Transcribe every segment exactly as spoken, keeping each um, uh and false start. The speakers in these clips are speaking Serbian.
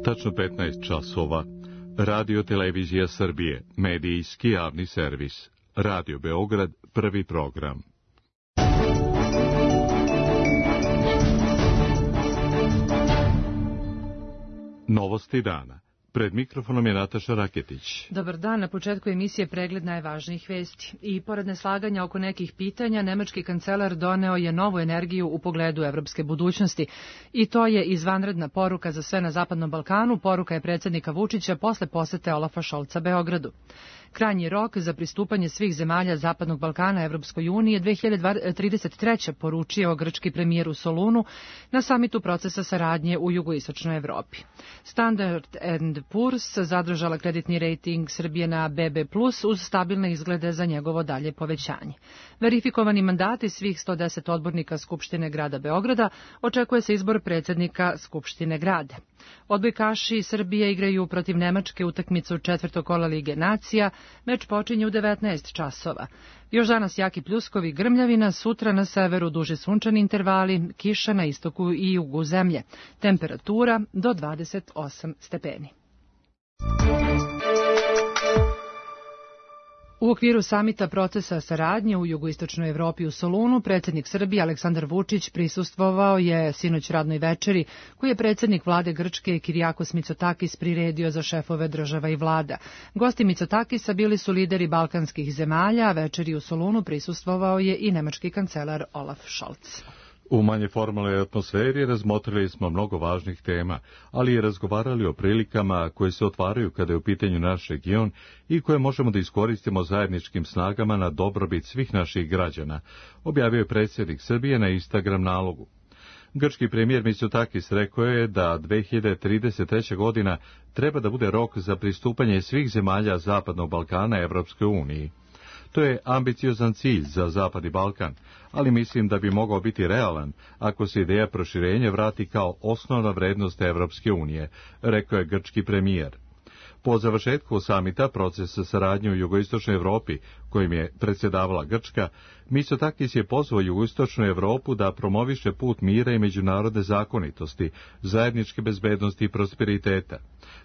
Tačno petnaest časova. Radio Televizija Srbije, medijski javni servis. Radio Beograd, prvi program. Novosti dana. Pred mikrofonom je Nataša Raketić. Dobar dan, na početku emisije pregled najvažnijih vesti. I pored neslaganja oko nekih pitanja, nemački kancelar doneo je novu energiju u pogledu evropske budućnosti. I to je izvanredna poruka za sve na Zapadnom Balkanu, poruka je predsjednika Vučića posle posete Olafa Šolca Beogradu. Krajnji rok za pristupanje svih zemalja Zapadnog Balkana Evropskoj uniji je dve hiljade trideset treće. poručio grčki premijer u Solunu na samitu procesa saradnje u jugoistočnoj Evropi. Standard and Poor's zadržala kreditni rejting Srbije na be be plus uz stabilne izglede za njegovo dalje povećanje. Verifikovani mandati svih sto deset odbornika Skupštine grada Beograda, očekuje se izbor predsjednika Skupštine grada. Odbojkaši Srbije igraju protiv Nemačke utakmicu četvrtog kola Lige nacija. Meč počinje u devetnaest časova. Još danas jaki pljuskovi, grmljavina, sutra na severu duže sunčani intervali, kiša na istoku i jugu zemlje. Temperatura do dvadeset osam stepeni. U okviru samita procesa saradnje u jugoistočnoj Evropi u Solunu, predsjednik Srbije Aleksandar Vučić prisustvovao je sinoć radnoj večeri koju je predsjednik vlade Grčke Kirijakos Mitsotakis priredio za šefove država i vlada. Gosti Mitsotakisa bili su lideri balkanskih zemalja, a večeri u Solunu prisustvovao je i nemački kancelar Olaf Scholz. U manje formalnoj atmosferi razmotrili smo mnogo važnih tema, ali i razgovarali o prilikama koje se otvaraju kada je u pitanju naš region i koje možemo da iskoristimo zajedničkim snagama na dobrobit svih naših građana, objavio je predsjednik Srbije na Instagram nalogu. Grčki premijer Mitsotakis rekao je da dve hiljade trideset treća. godina treba da bude rok za pristupanje svih zemalja Zapadnog Balkana Evropskoj uniji. To je ambiciozan cilj za Zapadni Balkan, ali mislim da bi mogao biti realan ako se ideja proširenja vrati kao osnovna vrednost Evropske unije, rekao je grčki premijer. Po završetku samita procesa saradnje u jugoistočnoj Evropi, kojim je predsjedavala Grčka, Mitsotakis je pozvao jugoistočnu Evropu da promoviše put mira i međunarodne zakonitosti, zajedničke bezbednosti i prosperiteta.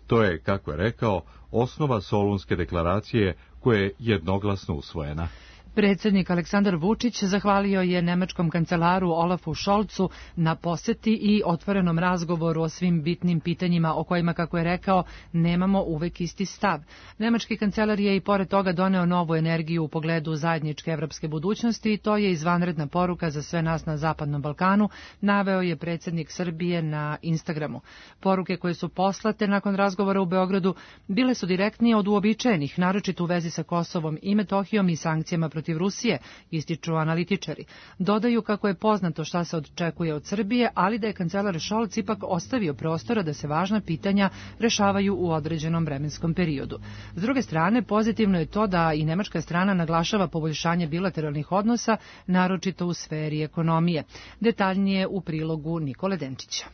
To je, kako je rekao, osnova Solunske deklaracije koja je jednoglasno usvojena. Predsjednik Aleksandar Vučić zahvalio je nemačkom kancelaru Olafu Scholzu na poseti i otvorenom razgovoru o svim bitnim pitanjima o kojima, kako je rekao, nemamo uvek isti stav. Nemački kancelar je i pored toga doneo novu energiju u pogledu zajedničke evropske budućnosti i to je izvanredna poruka za sve nas na Zapadnom Balkanu, naveo je predsjednik Srbije na Instagramu. Poruke koje su poslate nakon razgovora u Beogradu bile su direktnije od uobičajenih, naročito u vezi sa Kosovom i Metohijom i sankcijama protiv protiv Rusije, ističu analitičari. Dodaju kako je poznato šta se očekuje od Srbije, ali da je kancelar Scholz ipak ostavio prostora da se važna pitanja rešavaju u određenom vremenskom periodu. S druge strane, pozitivno je to da i nemačka strana naglašava poboljšanje bilateralnih odnosa, naročito u sferi ekonomije. Detaljnije u prilogu Nikole Denčića.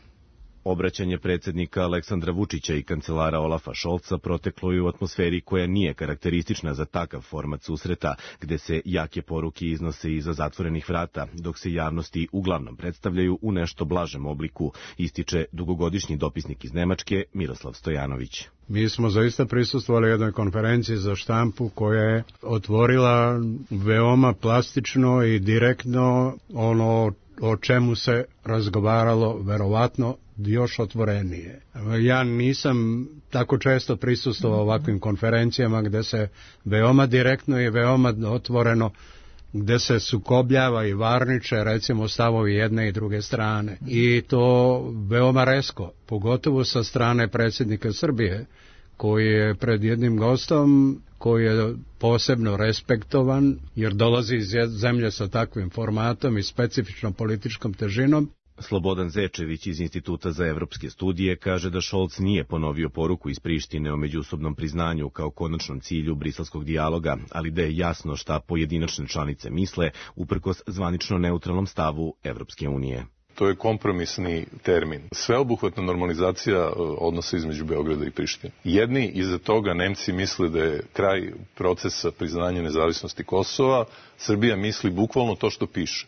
Obraćanje predsjednika Aleksandra Vučića i kancelara Olafa Šolca proteklo je u atmosferi koja nije karakteristična za takav format susreta, gde se jake poruke iznose iza zatvorenih vrata, dok se javnosti uglavnom predstavljaju u nešto blažem obliku, ističe dugogodišnji dopisnik iz Nemačke Miroslav Stojanović. Mi smo zaista prisustvovali jednoj konferenciji za štampu koja je otvorila veoma plastično i direktno ono o čemu se razgovaralo verovatno još otvorenije. Ja nisam tako često prisustvovao ovakvim konferencijama gde se veoma direktno i veoma otvoreno, gde se sukobljava i varniče recimo stavovi jedne i druge strane. I to veoma rezko, pogotovo sa strane predsjednika Srbije, koji je pred jednim gostom koji je posebno respektovan, jer dolazi iz zemlje sa takvim formatom i specifičnom političkom težinom. Slobodan Zečević iz Instituta za evropske studije kaže da Scholz nije ponovio poruku iz Prištine o međusobnom priznanju kao konačnom cilju briselskog dijaloga, ali da je jasno šta pojedinačne članice misle uprkos zvanično neutralnom stavu Evropske unije. To je kompromisni termin. Sveobuhvatna normalizacija odnosa između Beograda i Prištine. Jedni iza toga Nemci misle da je kraj procesa priznanja nezavisnosti Kosova, Srbija misli bukvalno to što piše.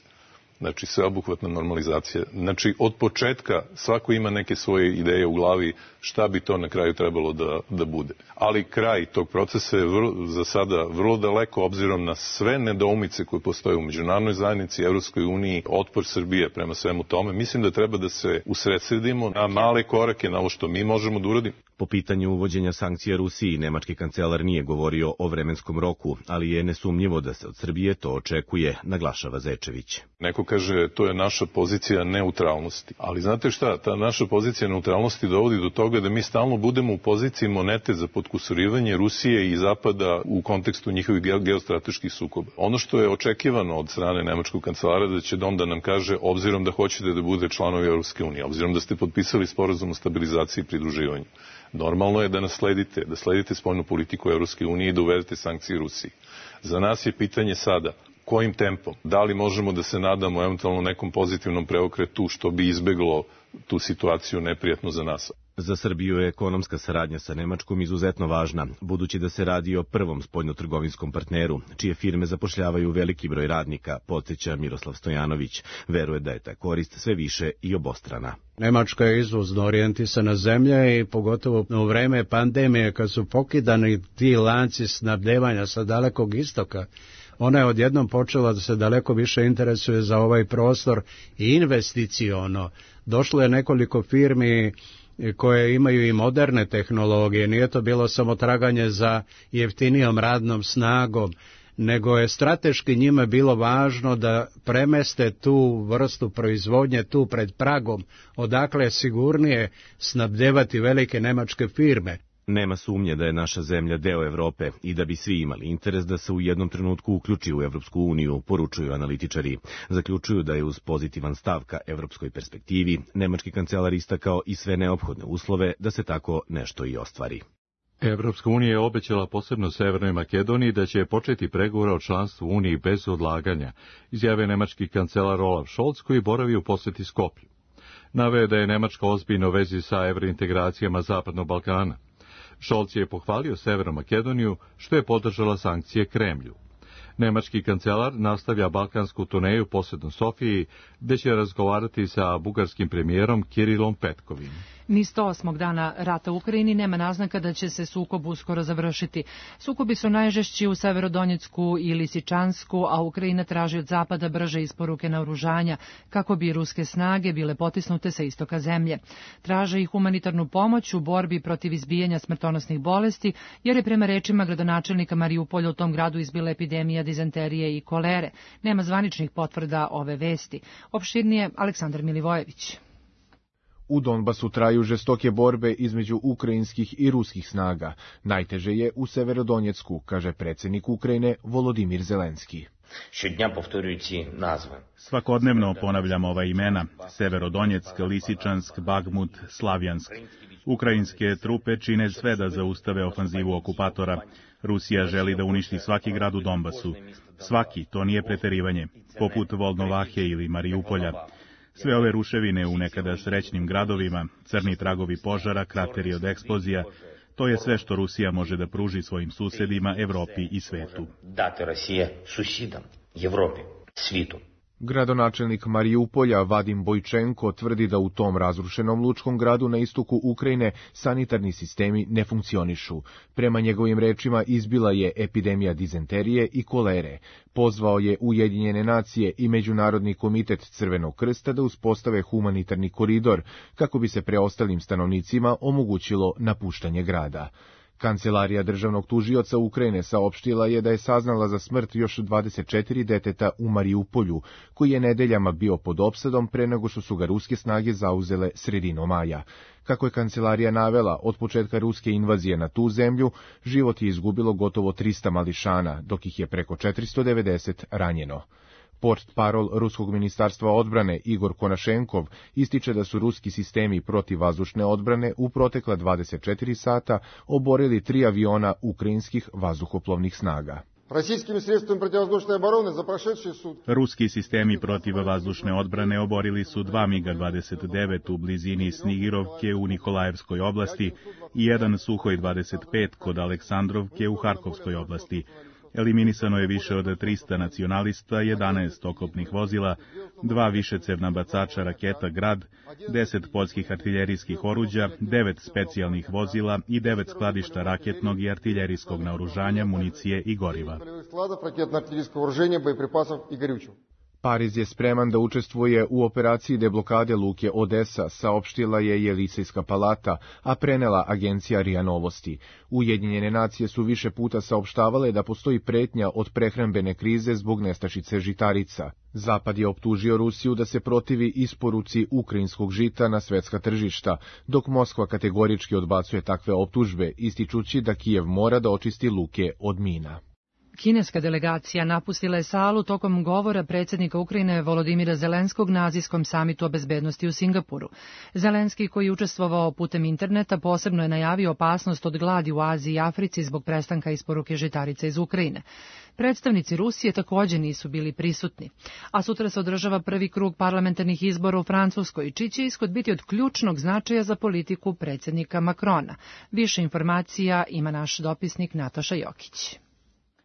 Znači, sveobuhvatna normalizacija. Znači, od početka svako ima neke svoje ideje u glavi šta bi to na kraju trebalo da, da bude. Ali kraj tog procesa je vrlo, za sada vrlo daleko, obzirom na sve nedoumice koje postoje u međunarodnoj zajednici, Evropskoj uniji, otpor Srbije prema svemu tome. Mislim da treba da se usredsredimo na male korake, na ovo što mi možemo da uradimo. Po pitanju uvođenja sankcija Rusiji, nemački kancelar nije govorio o vremenskom roku, ali je nesumnjivo da se od Srbije to očekuje, naglašava Zečević. Neko kaže to je naša pozicija neutralnosti. Ali znate šta, ta naša pozicija neutralnosti dovodi do toga da mi stalno budemo u poziciji monete za potkusurivanje Rusije i Zapada u kontekstu njihovih geostrateških sukoba. Ono što je očekivano od strane nemačkog kancelara da će Dom da nam kaže, obzirom da hoćete da bude članovi Evropske unije, obzirom da ste potpisali sporazum o stabilizaciji i pridruživanju, normalno je da nas sledite, da sledite spoljnu politiku Evropske unije i da uvedete sankcije Rusiji. Za nas je pitanje sada kojim tempom, da li možemo da se nadamo eventualno nekom pozitivnom preokretu što bi izbeglo tu situaciju neprijatnu za nas. Za Srbiju je ekonomska saradnja sa Nemačkom izuzetno važna, budući da se radi o prvom spoljnotrgovinskom partneru, čije firme zapošljavaju veliki broj radnika, podsjeća Miroslav Stojanović. Veruje da je ta korist sve više i obostrana. Nemačka je izvozno orijentisana zemlja i pogotovo u vreme pandemije, kad su pokidani ti lanci snabdevanja sa Dalekog istoka, ona je odjednom počela da se daleko više interesuje za ovaj prostor i investiciono. Došlo je nekoliko firmi koje imaju i moderne tehnologije, nije to bilo samo traganje za jeftinijom radnom snagom, nego je strateški njima bilo važno da premeste tu vrstu proizvodnje tu pred pragom, odakle je sigurnije snabdevati velike nemačke firme. Nema sumnje da je naša zemlja deo Evrope i da bi svi imali interes da se u jednom trenutku uključi u Evropsku uniju, poručuju analitičari. Zaključuju da je uz pozitivan stav ka evropskoj perspektivi, nemački kancelar istakao i sve neophodne uslove da se tako nešto i ostvari. Evropska unija je obećala posebno Severnoj Makedoniji da će početi pregovore o članstvu Uniji bez odlaganja, izjave nemački kancelar Olaf Scholz koji boravi u poseti Skoplju. Naveo da je Nemačka ozbiljno u vezi sa evrointegracijama Zapadnog Balkana. Scholz je pohvalio Severnu Makedoniju što je podržala sankcije Kremlju. Nemački kancelar nastavlja balkansku turneju posebno Sofiji, gde će razgovarati sa bugarskim premijerom Kirilom Petkovim. Ni sto osmog dana rata u Ukrajini nema naznaka da će se sukob uskoro završiti. Sukobi su najžešći u Severodonjecku i Lisičansku, a Ukrajina traži od Zapada brže isporuke naoružanja, kako bi ruske snage bile potisnute sa istoka zemlje. Traže i humanitarnu pomoć u borbi protiv izbijanja smrtonosnih bolesti, jer je prema rečima gradonačelnika Mariupolja u tom gradu izbila epidemija dizenterije i kolere. Nema zvaničnih potvrda ove vesti. Opširnije Aleksandar Milivojević. U Donbasu traju žestoke borbe između ukrajinskih i ruskih snaga. Najteže je u Severodonjecku, kaže predsjednik Ukrajine Volodimir Zelenski. Svakodnevno ponavljamo ova imena: Severodonjeck, Lisičansk, Bagmut, Slavjansk. Ukrajinske trupe čine sve da zaustave ofanzivu okupatora. Rusija želi da uništi svaki grad u Donbasu. Svaki, to nije preterivanje, poput Volnovahe ili Mariupolja. Sve ove ruševine u nekada srećnim gradovima, crni tragovi požara, krateri od eksplozija, to je sve što Rusija može da pruži svojim susedima, Evropi i svetu. Gradonačelnik Mariupolja Vadim Bojčenko tvrdi da u tom razrušenom lučkom gradu na istoku Ukrajine sanitarni sistemi ne funkcionišu. Prema njegovim rečima izbila je epidemija dizenterije i kolere. Pozvao je Ujedinjene nacije i Međunarodni komitet Crvenog krsta da uspostave humanitarni koridor kako bi se preostalim stanovnicima omogućilo napuštanje grada. Kancelarija državnog tužioca Ukrajine saopštila je da je saznala za smrt još dvadeset četiri deteta u Mariupolju, koji je nedeljama bio pod opsadom pre nego što su ga ruske snage zauzele sredinom maja. Kako je kancelarija navela, od početka ruske invazije na tu zemlju, život je izgubilo gotovo trista mališana, dok ih je preko četiristo devedeset ranjeno. Portparol Ruskog ministarstva odbrane Igor Konašenkov ističe da su ruski sistemi protivvazdušne odbrane u protekla dvadeset četiri sata oborili tri aviona ukrajinskih vazduhoplovnih snaga. Ruski sistemi protivvazdušne odbrane oborili su dva miga dvadeset devet u blizini Snigirovke u Nikolajevskoj oblasti i jedan Suhoj dvadeset pet kod Aleksandrovke u Harkovskoj oblasti. Eliminisano je više od trista nacionalista, jedanaest oklopnih vozila, dva višecevna bacača raketa Grad, deset poljskih artiljerijskih oruđa, devet specijalnih vozila i devet skladišta raketnog i artiljerijskog naoružanja, municije i goriva. Pariz je spreman da učestvuje u operaciji deblokade luke Odesa, saopštila je Jelisejska palata, a prenela agencija R I A Novosti. Ujedinjene nacije su više puta saopštavale da postoji pretnja od prehrambene krize zbog nestašice žitarica. Zapad je optužio Rusiju da se protivi isporuci ukrajinskog žita na svetska tržišta, dok Moskva kategorički odbacuje takve optužbe, ističući da Kijev mora da očisti luke od mina. Kineska delegacija napustila je salu tokom govora predsjednika Ukrajine Volodimira Zelenskog na azijskom samitu o bezbednosti u Singapuru. Zelenski, koji je učestvovao putem interneta, posebno je najavio opasnost od gladi u Aziji i Africi zbog prestanka isporuke žitarica iz Ukrajine. Predstavnici Rusije također nisu bili prisutni, a sutra se održava prvi krug parlamentarnih izbora u Francuskoj, čiji će ishod biti od ključnog značaja za politiku predsjednika Macrona. Više informacija ima naš dopisnik Nataša Jokić.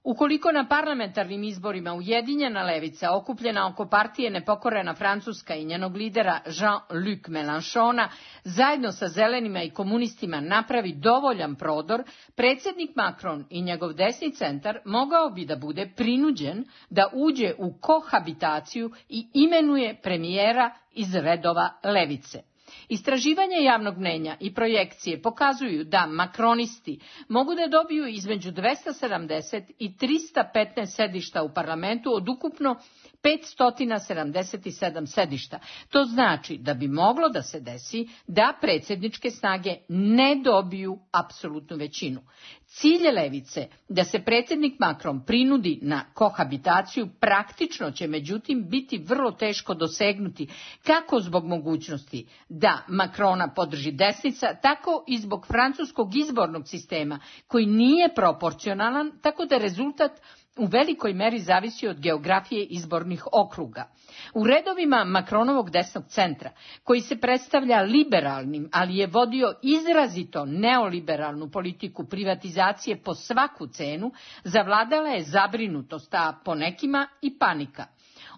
Ukoliko na parlamentarnim izborima Ujedinjena levica, okupljena oko partije Nepokorena Francuska i njenog lidera Jean-Luc Mélenchona, zajedno sa zelenima i komunistima napravi dovoljan prodor, predsjednik Macron i njegov desni centar mogao bi da bude prinuđen da uđe u kohabitaciju i imenuje premijera iz redova levice. Istraživanje javnog mnenja i projekcije pokazuju da makronisti mogu da dobiju između dvesta sedamdeset i trista petnaest sedišta u parlamentu od ukupno petsto sedamdeset sedam sedišta. To znači da bi moglo da se desi da predsjedničke snage ne dobiju apsolutnu većinu. Cilj levice da se predsjednik Macron prinudi na kohabitaciju praktično će međutim biti vrlo teško dosegnuti, kako zbog mogućnosti da Macrona podrži desnica, tako i zbog francuskog izbornog sistema koji nije proporcionalan, tako da rezultat u velikoj meri zavisi od geografije izbornih okruga. U redovima Macronovog desnog centra, koji se predstavlja liberalnim, ali je vodio izrazito neoliberalnu politiku privatizacije po svaku cenu, zavladala je zabrinutost, a po nekima i panika.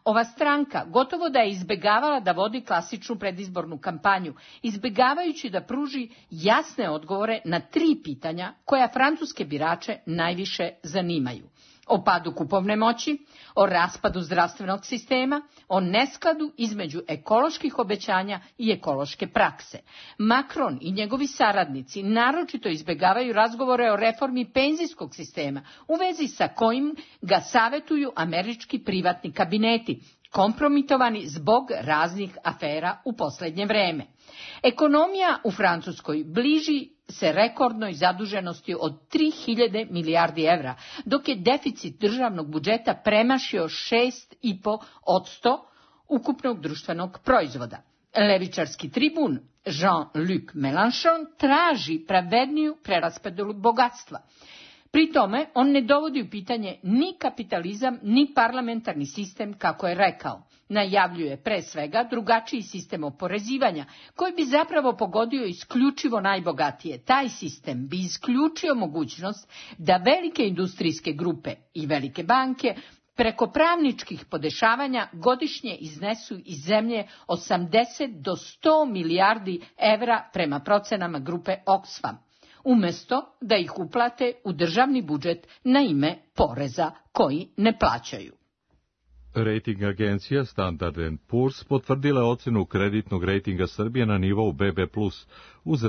Ova stranka gotovo da je izbegavala da vodi klasičnu predizbornu kampanju, izbegavajući da pruži jasne odgovore na tri pitanja koja francuske birače najviše zanimaju. O padu kupovne moći, o raspadu zdravstvenog sistema, o neskladu između ekoloških obećanja i ekološke prakse. Macron i njegovi saradnici naročito izbegavaju razgovore o reformi penzijskog sistema, u vezi sa kojim ga savetuju američki privatni kabineti, kompromitovani zbog raznih afera u posljednje vreme. Ekonomija u Francuskoj bliži se rekordnoj zaduženosti od tri hiljade milijardi evra, dok je deficit državnog budžeta premašio šest zarez pet posto ukupnog društvenog proizvoda. Levičarski tribun Jean-Luc Mélenchon traži pravedniju preraspodelu bogatstva. Pri tome on ne dovodi u pitanje ni kapitalizam, ni parlamentarni sistem, kako je rekao. Najavljuje pre svega drugačiji sistem oporezivanja, koji bi zapravo pogodio isključivo najbogatije. Taj sistem bi isključio mogućnost da velike industrijske grupe i velike banke preko pravničkih podešavanja godišnje iznesu iz zemlje osamdeset do sto milijardi evra prema procenama grupe Oxfam, umjesto da ih uplate u državni budžet na ime poreza koji ne plaćaju. Rating agencija Standard and Poor's potvrdila ocenu kreditnog rejtinga Srbije na nivou be be plus, uz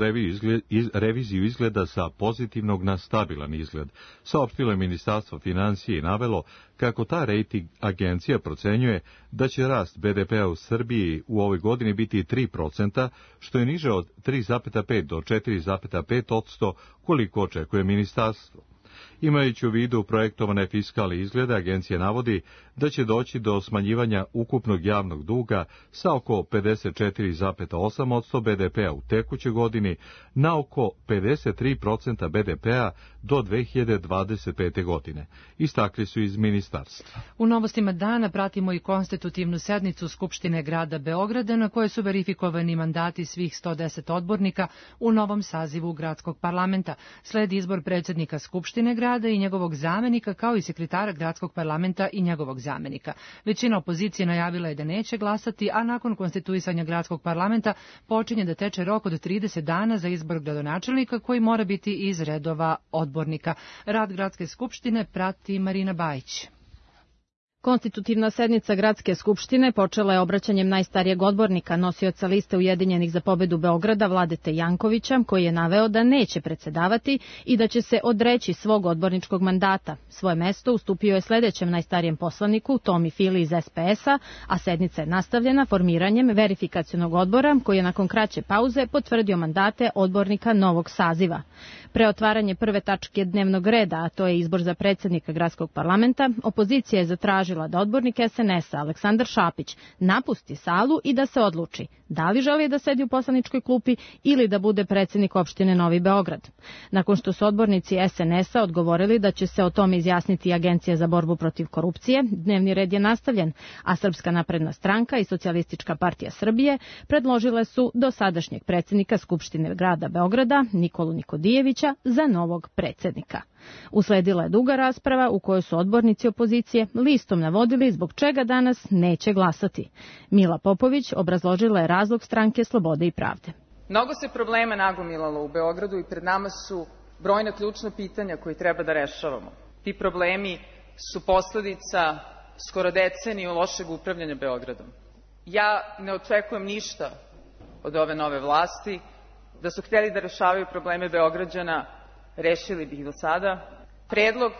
reviziju izgleda sa pozitivnog na stabilan izgled. Saopštilo je Ministarstvo financije i navelo kako ta rating agencija procenjuje da će rast be de pea u Srbiji u ovoj godini biti tri procenta, što je niže od tri zarez pet do četiri zarez pet posto koliko očekuje ministarstvo. Imajući u vidu projektovane fiskalne izglede, agencija navodi da će doći do smanjivanja ukupnog javnog duga sa oko pedeset četiri zarez osam posto be de pea u tekućoj godini na oko pedeset tri procenta be de pea do dve hiljade dvadeset pete. godine. Istakli su iz ministarstva. U novostima dana pratimo i konstitutivnu sednicu Skupštine grada Beograda, na kojoj su verifikovani mandati svih sto deset odbornika u novom sazivu gradskog parlamenta. Sledi izbor predsjednika Skupštine, Skupštine grada i njegovog zamenika, kao i sekretara gradskog parlamenta i njegovog zamenika. Većina opozicije najavila je da neće glasati, a nakon konstituisanja gradskog parlamenta počinje da teče rok od trideset dana za izbor gradonačelnika koji mora biti iz redova odbornika. Rad gradske skupštine prati Marina Bajić. Konstitutivna sednica Gradske skupštine počela je obraćanjem najstarijeg odbornika, nosioca liste Ujedinjenih za pobedu Beograda, Vladete Jankovića, koji je naveo da neće predsedavati i da će se odreći svog odborničkog mandata. Svoje mesto ustupio je sledećem najstarijem poslaniku, Tomi Fili iz es pe es a, a sednica je nastavljena formiranjem verifikacionog odbora, koji je nakon kraće pauze potvrdio mandate odbornika novog saziva. Pre otvaranje prve tačke dnevnog reda, a to je izbor za predsednika Gradskog parlamenta, opozicija je zatražila da odbornik es en es a Aleksandar Šapić napusti salu i da se odluči da li želi da sedi u poslaničkoj klupi ili da bude predsednik opštine Novi Beograd. Nakon što su odbornici es en es a odgovorili da će se o tome izjasniti Agencija za borbu protiv korupcije, dnevni red je nastavljen, a Srpska napredna stranka i Socijalistička partija Srbije predložile su dosadašnjeg predsednika Skupštine grada Beograda, Nikolu Nikodijevića, za novog predsednika. Usledila je duga rasprava u kojoj su odbornici opozicije listom navodili zbog čega danas neće glasati. Mila Popović obrazložila je razlog stranke Slobode i pravde. Mnogo se problema nagomilalo u Beogradu i pred nama su brojna ključna pitanja koje treba da rešavamo. Ti problemi su posledica skoro deceniju lošeg upravljanja Beogradom. Ja ne očekujem ništa od ove nove vlasti. Da su hteli da rešavaju probleme Beograđana, rešili bi ih do sada. Predlog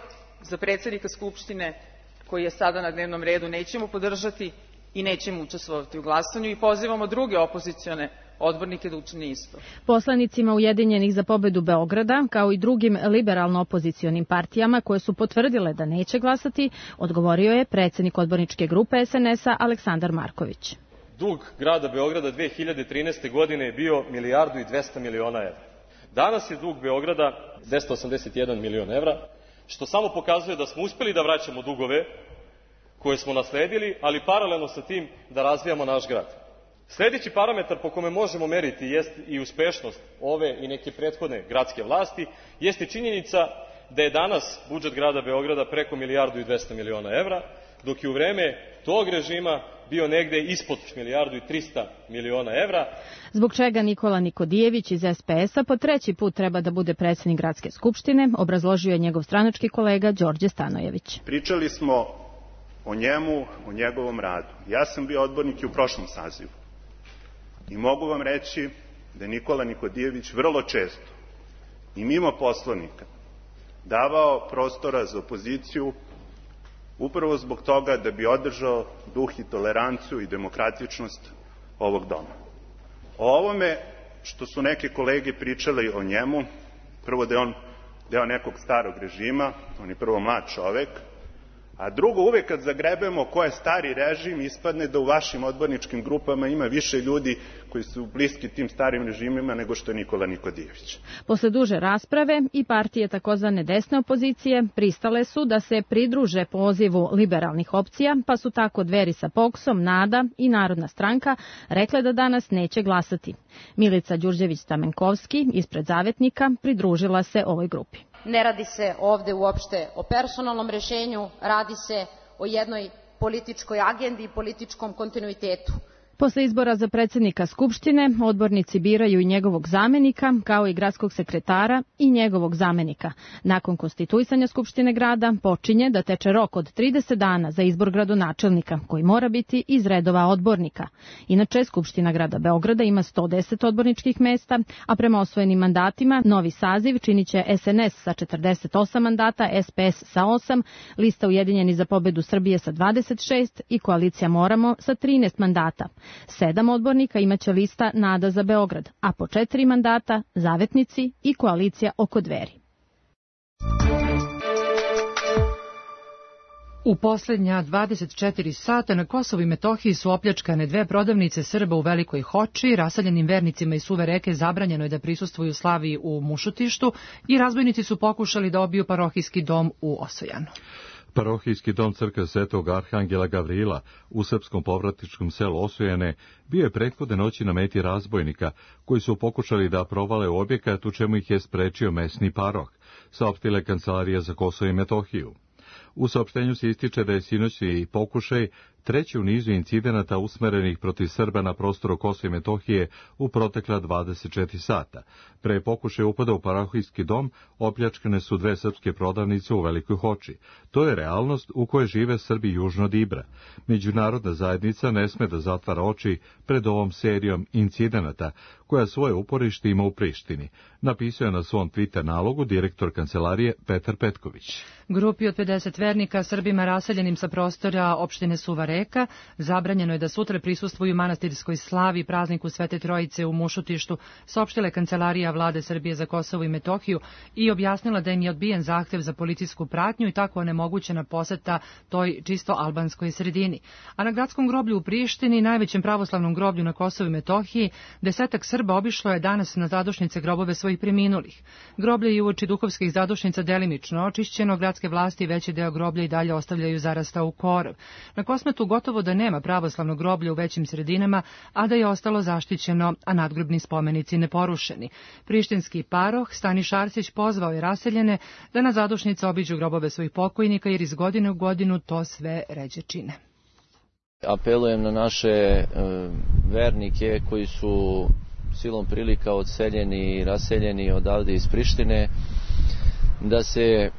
za predsednika Skupštine koji je sada na dnevnom redu nećemo podržati i nećemo učestvovati u glasanju i pozivamo druge opozicione odbornike da učine isto. Poslanicima Ujedinjenih za pobedu Beograda, kao i drugim liberalno-opozicionim partijama koje su potvrdile da neće glasati, odgovorio je predsednik odborničke grupe es en es a Aleksandar Marković. Dug grada Beograda dve hiljade trinaeste. godine je bio milijardu i dvesta miliona evra. Danas je dug Beograda dvesta osamdeset jedan milion evra, što samo pokazuje da smo uspeli da vraćamo dugove koje smo nasledili, ali paralelno sa tim da razvijamo naš grad. Sledeći parametar po kome možemo meriti jest i uspešnost ove i neke prethodne gradske vlasti, jeste činjenica da je danas budžet grada Beograda preko milijardu i dvesta miliona evra, dok je u vreme tog režima bio negde ispod milijardu i trista miliona evra. Zbog čega Nikola Nikodijević iz es pe es a po treći put treba da bude predsednik Gradske skupštine, obrazložio je njegov stranački kolega Đorđe Stanojević. Pričali smo o njemu, o njegovom radu. Ja sam bio odbornik i u prošlom sazivu. I mogu vam reći da je Nikola Nikodijević vrlo često i mimo Poslovnika davao prostora za opoziciju upravo zbog toga da bi održao duh i toleranciju i demokratičnost ovog doma. O ovome što su neke kolege pričali o njemu, prvo da je on deo nekog starog režima, on je prvo mlad čovek, a drugo, uvek kad zagrebemo ko je stari režim, ispadne da u vašim odborničkim grupama ima više ljudi koji su bliski tim starim režimima nego što je Nikola Nikodijević. Posle duže rasprave i partije takozvane desne opozicije pristale su da se pridruže pozivu liberalnih opcija, pa su tako Dveri sa Poksom, Nada i Narodna stranka rekle da danas neće glasati. Milica Đurđević-Stamenkovski ispred Zavetnika pridružila se ovoj grupi. Ne radi se ovde uopšte o personalnom rešenju, radi se o jednoj političkoj agendi i političkom kontinuitetu. Posle izbora za predsednika Skupštine, odbornici biraju i njegovog zamenika, kao i gradskog sekretara i njegovog zamenika. Nakon konstituisanja Skupštine grada počinje da teče rok od trideset dana za izbor gradonačelnika, koji mora biti iz redova odbornika. Inače, Skupština grada Beograda ima sto deset odborničkih mesta, a prema osvojenim mandatima novi saziv činiće es en es sa četrdeset osam mandata, es pe es sa osam, lista Ujedinjeni za pobedu Srbije sa dvadeset šest i koalicija Moramo sa trinaest mandata. Sedam odbornika imaće lista Nada za Beograd, a po četiri mandata Zavetnici i koalicija oko Dveri. U poslednja dvadeset četiri sata na Kosovu i Metohiji su opljačkane dve prodavnice Srba u Velikoj Hoči, raseljenim vernicima iz Suve reke zabranjeno je da prisustvuju slavi u Mušutištu i razbojnici su pokušali da obiju parohijski dom u Osojanu. Parohijski dom crkve Svetog Arhangela Gavrila u srpskom povratničkom selu Osojene bio je prethodne noći na meti razbojnika, koji su pokušali da provale u objekat, u čemu ih je sprečio mesni paroh, saopštila je Kancelarija za Kosovo i Metohiju. U saopštenju se ističe da je sinoćni pokušaj treći u nizu incidenata usmerenih protiv Srba na prostoru Kosova i Metohije u protekla dvadeset četiri sata. Pre pokušaja upada u parohijski dom opljačkane su dve srpske prodavnice u Velikoj Hoči. To je realnost u kojoj žive Srbi južno od Ibra. Međunarodna zajednica ne sme da zatvara oči pred ovom serijom incidenata, koja svoje uporište ima u Prištini, napisao je na svom Twitter nalogu direktor kancelarije Petar Petković. Grupi od pedeset vernika Srbima raseljenim sa prostora opštine Suva Reka zabranjeno je da sutra prisustvuju manastirskoj slavi prazniku Svete Trojice u Mušutištu, saopštila je Kancelarija Vlade Srbije za Kosovo i Metohiju i objasnila da im je odbijen zahtev za policijsku pratnju i tako onemogućena poseta toj čisto albanskoj sredini. A na gradskom groblju u Prištini, najvećem pravoslavnom groblju na Kosovu i Metohiji, desetak Srba obišlo je danas na zadušnice grobove svojih preminulih. Groblje je uoči duhovskih zadušnica delimično očišćeno, gradske vlasti veći deo groblja i dalje ostavljaju zarastao korov. Na Kosmetu gotovo da nema pravoslavnog groblja u većim sredinama, a da je ostalo zaštićeno, a nadgrobni spomenici neporušeni. Prištinski paroh Staniš Arsić pozvao je raseljene da na zadušnice obiđu grobove svojih pokojnika, jer iz godine u godinu to sve ređe čine. Apelujem na naše e, vernike koji su silom prilika odseljeni i raseljeni odavde iz Prištine, da se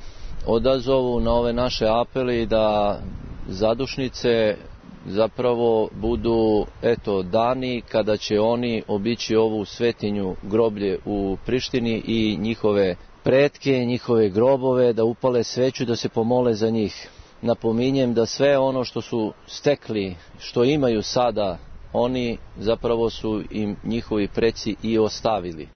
odazovu na ove naše apele i da zadušnice zapravo budu eto dani kada će oni obići ovu svetinju groblje u Prištini i njihove pretke, njihove grobove, da upale sveću, da se pomole za njih. Napominjem da sve ono što su stekli, što imaju sada, oni zapravo su im njihovi preci i ostavili.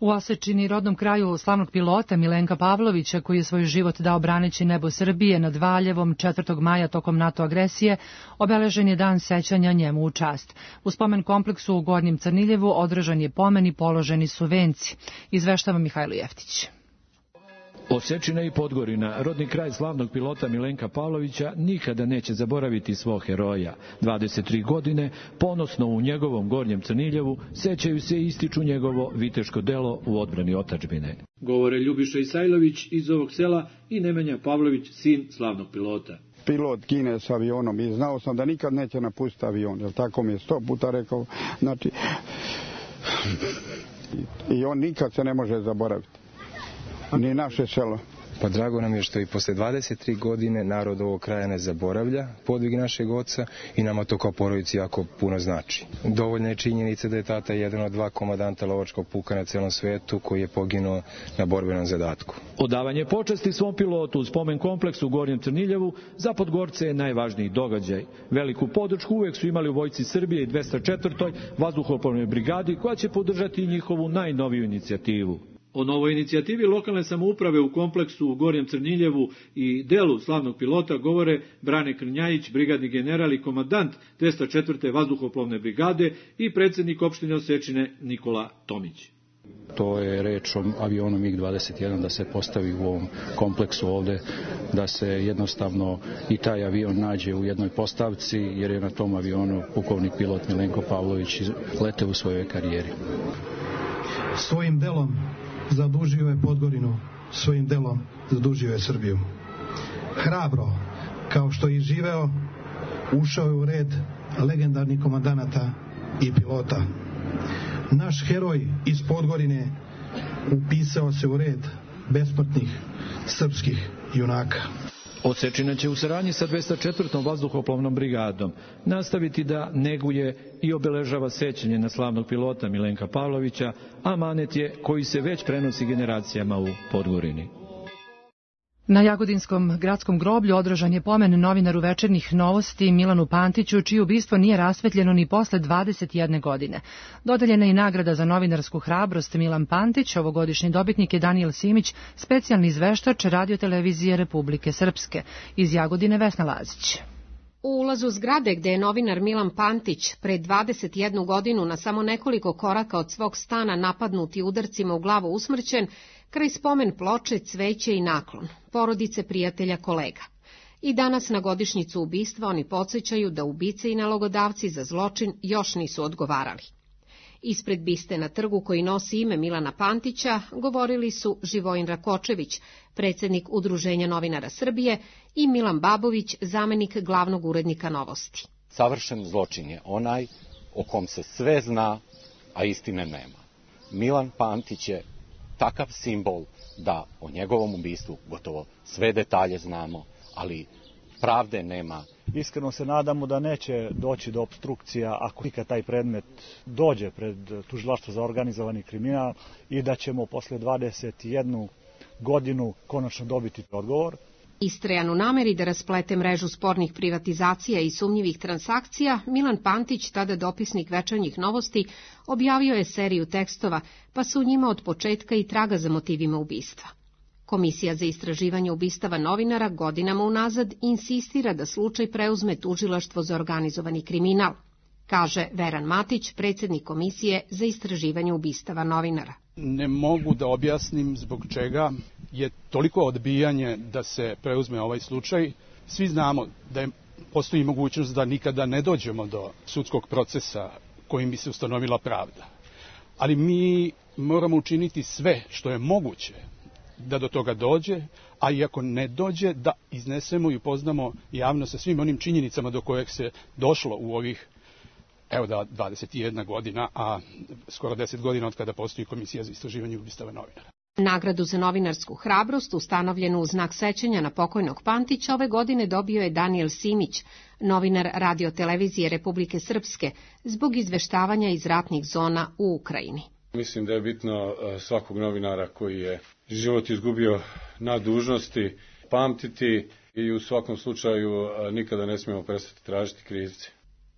U Osečini, rodnom kraju slavnog pilota Milenka Pavlovića, koji je svoj život dao braneći nebo Srbije nad Valjevom četvrtog maja tokom NATO agresije, obeležen je dan sećanja njemu u čast. U spomen kompleksu u Gornjem Crniljevu održan je pomen i položeni su venci. Izveštava Mihajlo Jeftić. Osečina i Podgorina, rodni kraj slavnog pilota Milenka Pavlovića, nikada neće zaboraviti svog heroja. dvadeset tri godine, ponosno u njegovom Gornjem Crniljevu, sećaju se i ističu njegovo viteško delo u odbrani otadžbine. Govore Ljubiša Isajlović iz ovog sela i Nemanja Pavlović, sin slavnog pilota. Pilot gine s avionom i znao sam da nikad neće napustiti avion, jer tako mi je sto puta rekao. Znači, i on nikad se ne može zaboraviti. Ni naše selo. Pa drago nam je što i posle dvadeset tri godine narod ovog kraja ne zaboravlja podvig našeg oca i nama to kao porodici jako puno znači. Dovoljna je činjenica da je tata jedan od dva komandanta lovačkog puka na celom svetu koji je poginuo na borbenom zadatku. Odavanje počasti svom pilotu u spomen kompleksu u Gornjem Crniljevu za Podgorce je najvažniji događaj. Veliku podršku uvek su imali u Vojsci Srbije i dvesta četvrtoj vazduhoplovnoj brigadi, koja će podržati njihovu najnoviju inicijativu. O novoj inicijativi lokalne samouprave u kompleksu u Gornjem Crniljevu i delu slavnog pilota govore Brane Krnjajić, brigadni general i komandant dvesta četvrte vazduhoplovne brigade i predsjednik opštine Osečine Nikola Tomić. To je reč o avionu mig dvadeset jedan da se postavi u ovom kompleksu ovde, da se jednostavno i taj avion nađe u jednoj postavci, jer je na tom avionu pukovnik pilot Milenko Pavlović leteo u svojoj karijeri. Svojim delom zadužio je Podgorinu, svojim delom zadužio je Srbiju. Hrabro, kao što je živeo, ušao je u red legendarnih komandanata i pilota. Naš heroj iz Podgorine upisao se u red besmrtnih srpskih junaka. Osečina će u saradnji sa dvesta četvrtom vazduhoplovnom brigadom nastaviti da neguje i obeležava sećanje na slavnog pilota Milenka Pavlovića, a amanet je koji se već prenosi generacijama u Podgorini. Na Jagodinskom gradskom groblju održan je pomen novinaru Večernjih novosti Milanu Pantiću, čije ubistvo nije rasvetljeno ni posle dvadeset jedne godine. Dodeljena je i nagrada za novinarsku hrabrost Milan Pantić, ovogodišnji dobitnik je Danijel Simić, specijalni izveštač Radio-televizije Republike Srpske. Iz Jagodine Vesna Lazić. U ulazu zgrade gde je novinar Milan Pantić pre dvadeset jednu godinu na samo nekoliko koraka od svog stana napadnut i udarcima u glavu usmrćen, kraj spomen ploče, cveće i naklon, porodice, prijatelja, kolega. I danas na godišnjicu ubistva oni podsjećaju da ubice i nalogodavci za zločin još nisu odgovarali. Ispred biste na trgu koji nosi ime Milana Pantića govorili su Živojin Rakočević, predsjednik Udruženja novinara Srbije, i Milan Babović, zamenik glavnog urednika Novosti. Savršen zločin je onaj o kom se sve zna, a istine nema. Milan Pantić je takav simbol da o njegovom ubistvu gotovo sve detalje znamo, ali pravde nema. Iskreno se nadamo da neće doći do opstrukcija ako ikad taj predmet dođe pred tužilaštvo za organizovani kriminal i da ćemo posle dvadeset jednu godinu konačno dobiti odgovor. Istrajan u nameri da rasplete mrežu spornih privatizacija i sumnjivih transakcija, Milan Pantić, tada dopisnik Večernjih novosti, objavio je seriju tekstova, pa su u njima od početka i traga za motivima ubistva. Komisija za istraživanje ubistava novinara godinama unazad insistira da slučaj preuzme tužilaštvo za organizovani kriminal, kaže Veran Matić, predsjednik Komisije za istraživanje ubistava novinara. Ne mogu da objasnim zbog čega je toliko odbijanje da se preuzme ovaj slučaj. Svi znamo da je, postoji mogućnost da nikada ne dođemo do sudskog procesa kojim bi se ustanovila pravda. Ali mi moramo učiniti sve što je moguće da do toga dođe, a i ako ne dođe, da iznesemo i upoznamo javno sa svim onim činjenicama do kojeg se došlo u ovih, evo da, dvadeset jedna godina, a skoro deset godina od kada postoji Komisija za istraživanje ubistava novinara. Nagradu za novinarsku hrabrost, ustanovljenu u znak sećanja na pokojnog Pantića, ove godine dobio je Danijel Simić, novinar Radio-televizije Republike Srpske, zbog izveštavanja iz ratnih zona u Ukrajini. Mislim da je bitno svakog novinara koji je život izgubio na dužnosti pamtiti i u svakom slučaju nikada ne smijemo prestati tražiti krivce.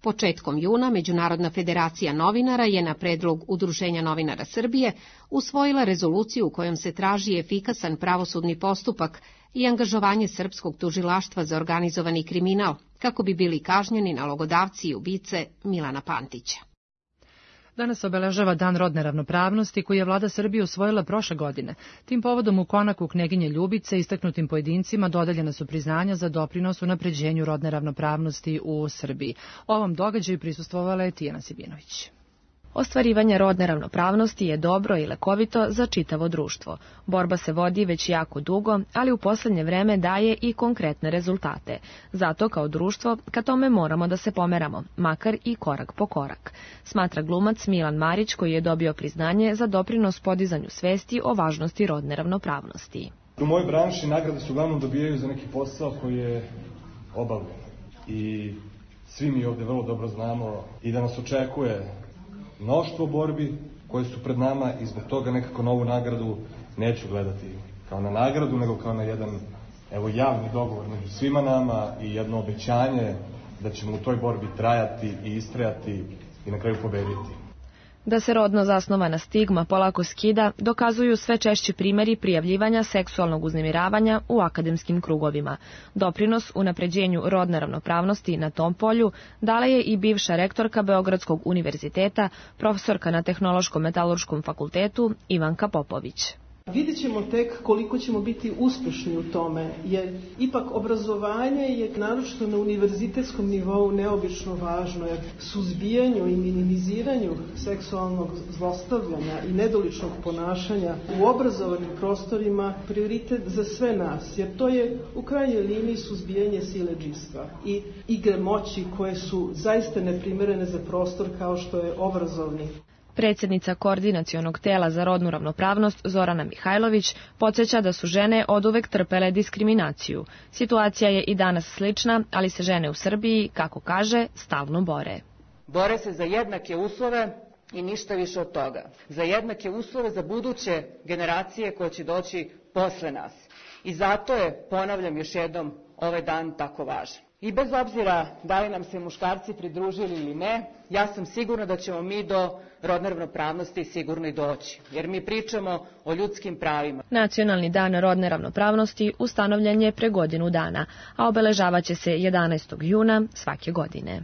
Početkom juna Međunarodna federacija novinara je na predlog Udruženja novinara Srbije usvojila rezoluciju u kojom se traži efikasan pravosudni postupak i angažovanje srpskog tužilaštva za organizovani kriminal, kako bi bili kažnjeni nalogodavci i ubice Milana Pantića. Danas obeležava Dan rodne ravnopravnosti koji je vlada Srbije usvojila prošle godine. Tim povodom u konaku Kneginje Ljubice istaknutim pojedincima dodeljena su priznanja za doprinos unapređenju rodne ravnopravnosti u Srbiji. Ovom događaju prisustvovala je Tijana Sibinović. Ostvarivanje rodne ravnopravnosti je dobro i lekovito za čitavo društvo. Borba se vodi već jako dugo, ali u posljednje vreme daje i konkretne rezultate. Zato kao društvo ka tome moramo da se pomeramo, makar i korak po korak, smatra glumac Milan Marić, koji je dobio priznanje za doprinos podizanju svesti o važnosti rodne ravnopravnosti. U mojoj branši nagrade su uglavnom dobijaju za neki posao koji je obavljen. I svi mi ovdje vrlo dobro znamo i da nas očekuje mnoštvo borbi koje su pred nama i zbog toga nekako na ovu nagradu neću gledati kao na nagradu, nego kao na jedan evo, javni dogovor među svima nama i jedno obećanje da ćemo u toj borbi trajati i istrajati i na kraju pobediti. Da se rodno zasnovana stigma polako skida, dokazuju sve češći primjeri prijavljivanja seksualnog uznemiravanja u akademskim krugovima. Doprinos unapređenju rodne ravnopravnosti na tom polju dala je i bivša rektorka Beogradskog univerziteta, profesorka na Tehnološkom metalurškom fakultetu Ivanka Popović. Vidjet ćemo tek koliko ćemo biti uspješni u tome, jer ipak obrazovanje je naročito na univerzitetskom nivou neobično važno, jer suzbijanju i minimiziranju seksualnog zlostavljanja i nedoličnog ponašanja u obrazovanim prostorima prioritet za sve nas, jer to je u krajnjoj liniji suzbijanje siledžijstva i igre moći koje su zaista neprimjerene za prostor kao što je obrazovni. Predsjednica Koordinacionog tela za rodnu ravnopravnost Zorana Mihajlović podsjeća da su žene oduvek trpele diskriminaciju. Situacija je i danas slična, ali se žene u Srbiji, kako kaže, stalno bore. Bore se za jednake uslove i ništa više od toga. Za jednake uslove za buduće generacije koje će doći posle nas. I zato je, ponavljam još jednom, ovaj dan tako važan. I bez obzira da li nam se muškarci pridružili ili ne, ja sam sigurna da ćemo mi do rodne ravnopravnosti sigurno i doći, jer mi pričamo o ljudskim pravima. Nacionalni dan rodne ravnopravnosti ustanovljen je pre godinu dana, a obeležavaće se jedanaestog juna svake godine.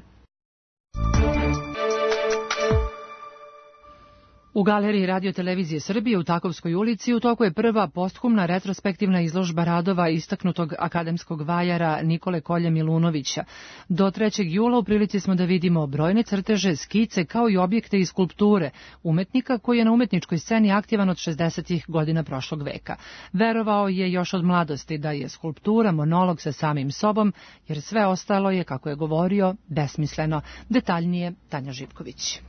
U Galeriji Radio televizije Srbije u Takovskoj ulici u toku je prva posthumna retrospektivna izložba radova istaknutog akademskog vajara Nikole Kolje Milunovića. Do trećeg jula u prilici smo da vidimo brojne crteže, skice kao i objekte i skulpture umetnika koji je na umetničkoj sceni aktivan od šezdesetih godina prošlog veka. Verovao je još od mladosti da je skulptura monolog sa samim sobom, jer sve ostalo je, kako je govorio, besmisleno. Detaljnije Tanja Živković.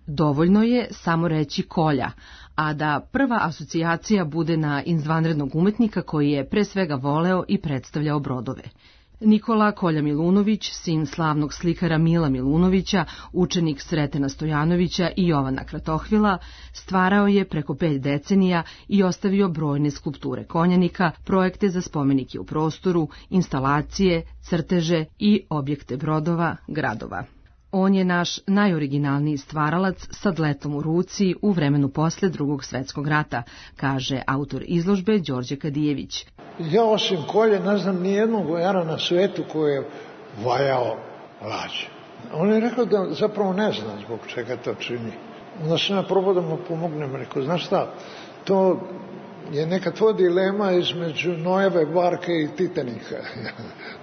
Dovoljno je samo reći Kolja, a da prva asocijacija bude na izvanrednog umetnika koji je pre svega voleo i predstavljao brodove. Nikola Kolja Milunović, sin slavnog slikara Mila Milunovića, učenik Sretena Stojanovića i Jovana Kratohvila, stvarao je preko pet decenija i ostavio brojne skulpture konjanika, projekte za spomenike u prostoru, instalacije, crteže i objekte brodova, gradova. On je naš najoriginalniji stvaralac sa dletom u ruci u vremenu posle Drugog svetskog rata, kaže autor izložbe Đorđe Kadijević. Ja osim Kolje ne znam ni jednog vajara na svetu koji je vajao lađe. On je rekao da zapravo ne zna zbog čega to čini. Onda sam ja probao da mu pomognem, rekao, znaš šta, to je neka tvoja dilema između Nojeve barke i Titanika.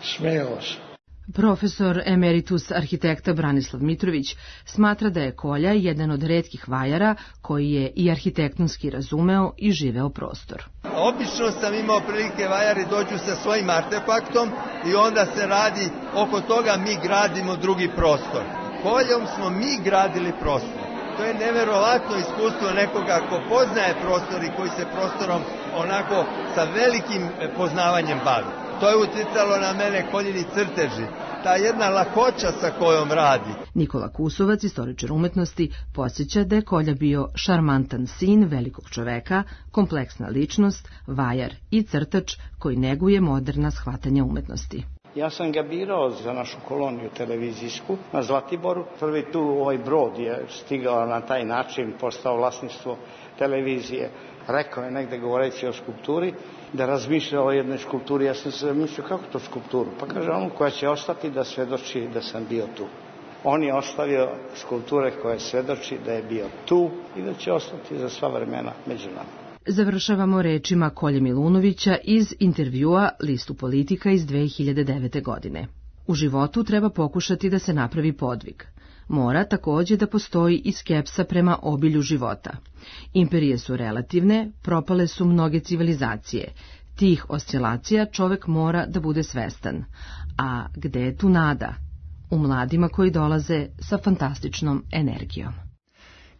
Smejao se. Profesor emeritus arhitekta Branislav Mitrović smatra da je Kolja jedan od retkih vajara koji je i arhitektonski razumeo i živeo prostor. Obično sam imao prilike vajari dođu sa svojim artefaktom i onda se radi oko toga mi gradimo drugi prostor. Koljom smo mi gradili prostor. To je neverovatno iskustvo nekoga ko poznaje prostor i koji se prostorom onako sa velikim poznavanjem bavi. To je uticalo na mene Koljini crteži, ta jedna lakoća sa kojom radi. Nikola Kusovac, istoričar umetnosti, podsjeća da je Kolja bio šarmantan sin velikog čoveka, kompleksna ličnost, vajar i crtač koji neguje moderna shvatanja umetnosti. Ja sam ga birao za našu koloniju televizijsku na Zlatiboru. Prvi tu ovaj brod je stigao na taj način, postao vlasništvo televizije. Rekao je negde govoreći o skulpturi, da razmišlja o jednoj skulpturi. Ja sam se mislio kako to skulpturu? Pa kaže onu koja će ostati da svedoči da sam bio tu. On je ostavio skulpture koje svedoči da je bio tu i da će ostati za sva vremena među nama. Završavamo rečima Kolje Milunovića iz intervjua Listu Politika iz dve hiljade devete. godine. U životu treba pokušati da se napravi podvig. Mora takođe da postoji i skepsa prema obilju života. Imperije su relativne, propale su mnoge civilizacije. Tih oscilacija čovek mora da bude svestan. A gde je tu nada? U mladima koji dolaze sa fantastičnom energijom.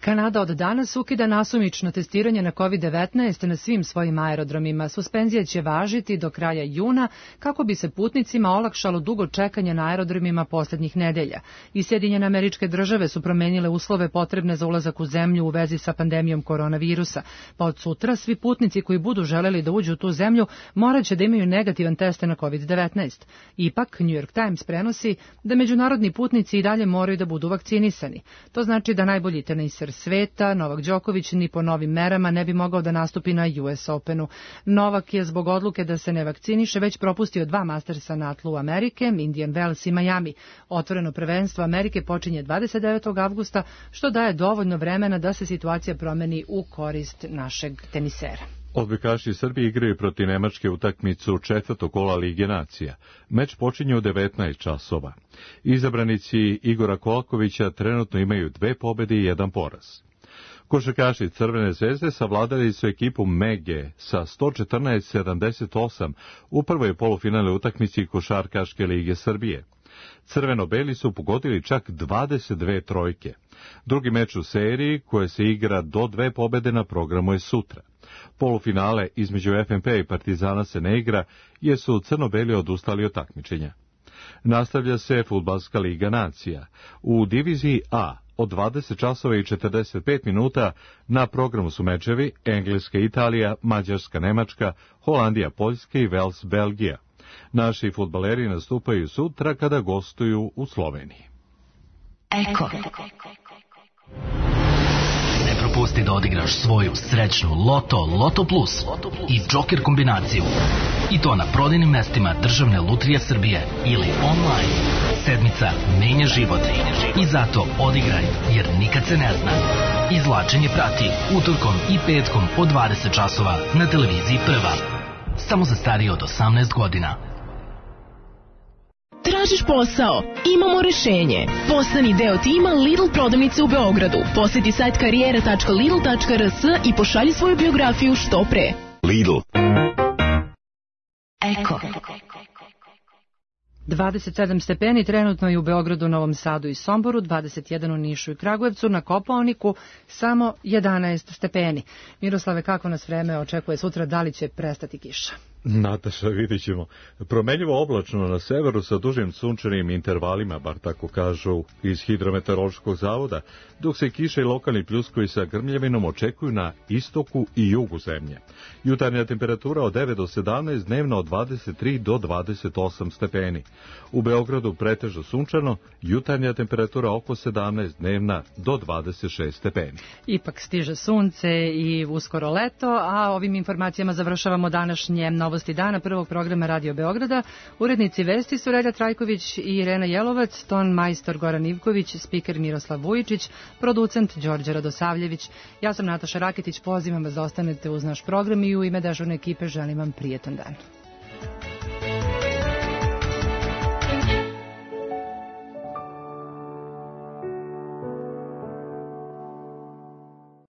Kanada od danas ukida nasumično testiranje na kovid devetnaest na svim svojim aerodromima. Suspenzija će važiti do kraja juna kako bi se putnicima olakšalo dugo čekanje na aerodromima poslednjih nedelja. I Sjedinjene Američke Države su promenile uslove potrebne za ulazak u zemlju u vezi sa pandemijom koronavirusa. Pa od sutra svi putnici koji budu želeli da uđu u tu zemlju morat će da imaju negativan test na kovid devetnaest. Ipak, New York Times prenosi da međunarodni putnici i dalje moraju da budu vakcinisani. To znači da najbolji teniser sveta, Novak Đoković, ni po novim merama ne bi mogao da nastupi na U S Openu. Novak je zbog odluke da se ne vakciniše već propustio dva Mastersa na tlu Amerike, Indian Wells i Miami. Otvoreno prvenstvo Amerike počinje dvadeset devetog avgusta, što daje dovoljno vremena da se situacija promeni u korist našeg tenisera. Odbojkaši Srbije igraju protiv Nemačke utakmicu četvrtog kola Lige nacija. Meč počinje u devetnaest časova. Izabranici Igora Kolakovića trenutno imaju dve pobede i jedan poraz. Košarkaši Crvene zvezde savladali su ekipu Mege sa sto četrnaest sedamdeset osam u prvoj polufinalnoj utakmici Košarkaške lige Srbije. Crveno-beli su pogodili čak dvadeset dve trojke. Drugi meč u seriji, koje se igra do dve pobede na programu je sutra. Polufinale između F N P i Partizana se ne igra, jer su crno-beli odustali od takmičenja. Nastavlja se Fudbalska liga nacija. U diviziji A od dvadeset časova i četrdeset pet minuta na programu su mečevi Engleska Italija, Mađarska Nemačka, Holandija Poljska i Vels Belgija. Naši fudbaleri nastupaju sutra kada gostuju u Sloveniji. Eko. Ne propusti da odigraš svoju srećnu Loto, Loto Plus i Joker kombinaciju. I to na prodajnim mestima Državne lutrije Srbije ili online. Sedmica menja život. I zato odigraj, jer nikad se ne zna. Izvlačenje prati utorkom i petkom od dvadeset časova na televiziji Prva. Samo za starije od osamnaest godina. Tražiš posao? Imamo rešenje. Postani deo tima Lidl prodavnice u Beogradu. Poseti sajt karijera tačka lidl tačka r s i pošalji svoju biografiju što pre. Lidl. Eko. dvadeset sedam stepeni trenutno i u Beogradu, Novom Sadu i Somboru, dvadeset jedan u Nišu i Kragujevcu, na Kopaoniku samo jedanaest stepeni. Miroslave, kako nas vreme očekuje sutra, da li će prestati kiša? Nataša, vidit ćemo. Promenljivo oblačno na severu sa dužim sunčanim intervalima, bar tako kažu iz Hidrometeorološkog zavoda, dok se kiša i lokalni pljuskovi sa grmljavinom očekuju na istoku i jugu zemlje. Jutarnja temperatura od devet do sedamnaest, dnevna od dvadeset tri do dvadeset osam stepeni. U Beogradu pretežno sunčano, jutarnja temperatura oko sedamnaest, dnevna do dvadeset šest stepeni. Ipak stiže sunce i uskoro leto, a ovim informacijama završavamo današnje novosti dana prvog programa Radio Beograda. Urednici vesti su Relja Trajković i Irena Jelovac, ton majstor Goran Ivković, spiker Miroslav Vujičić, producent Đorđe Radosavljević. Ja sam Nataša Raketić, pozivam vas da ostanete uz naš program i u ime dežurne ekipe želim vam prijetan dan.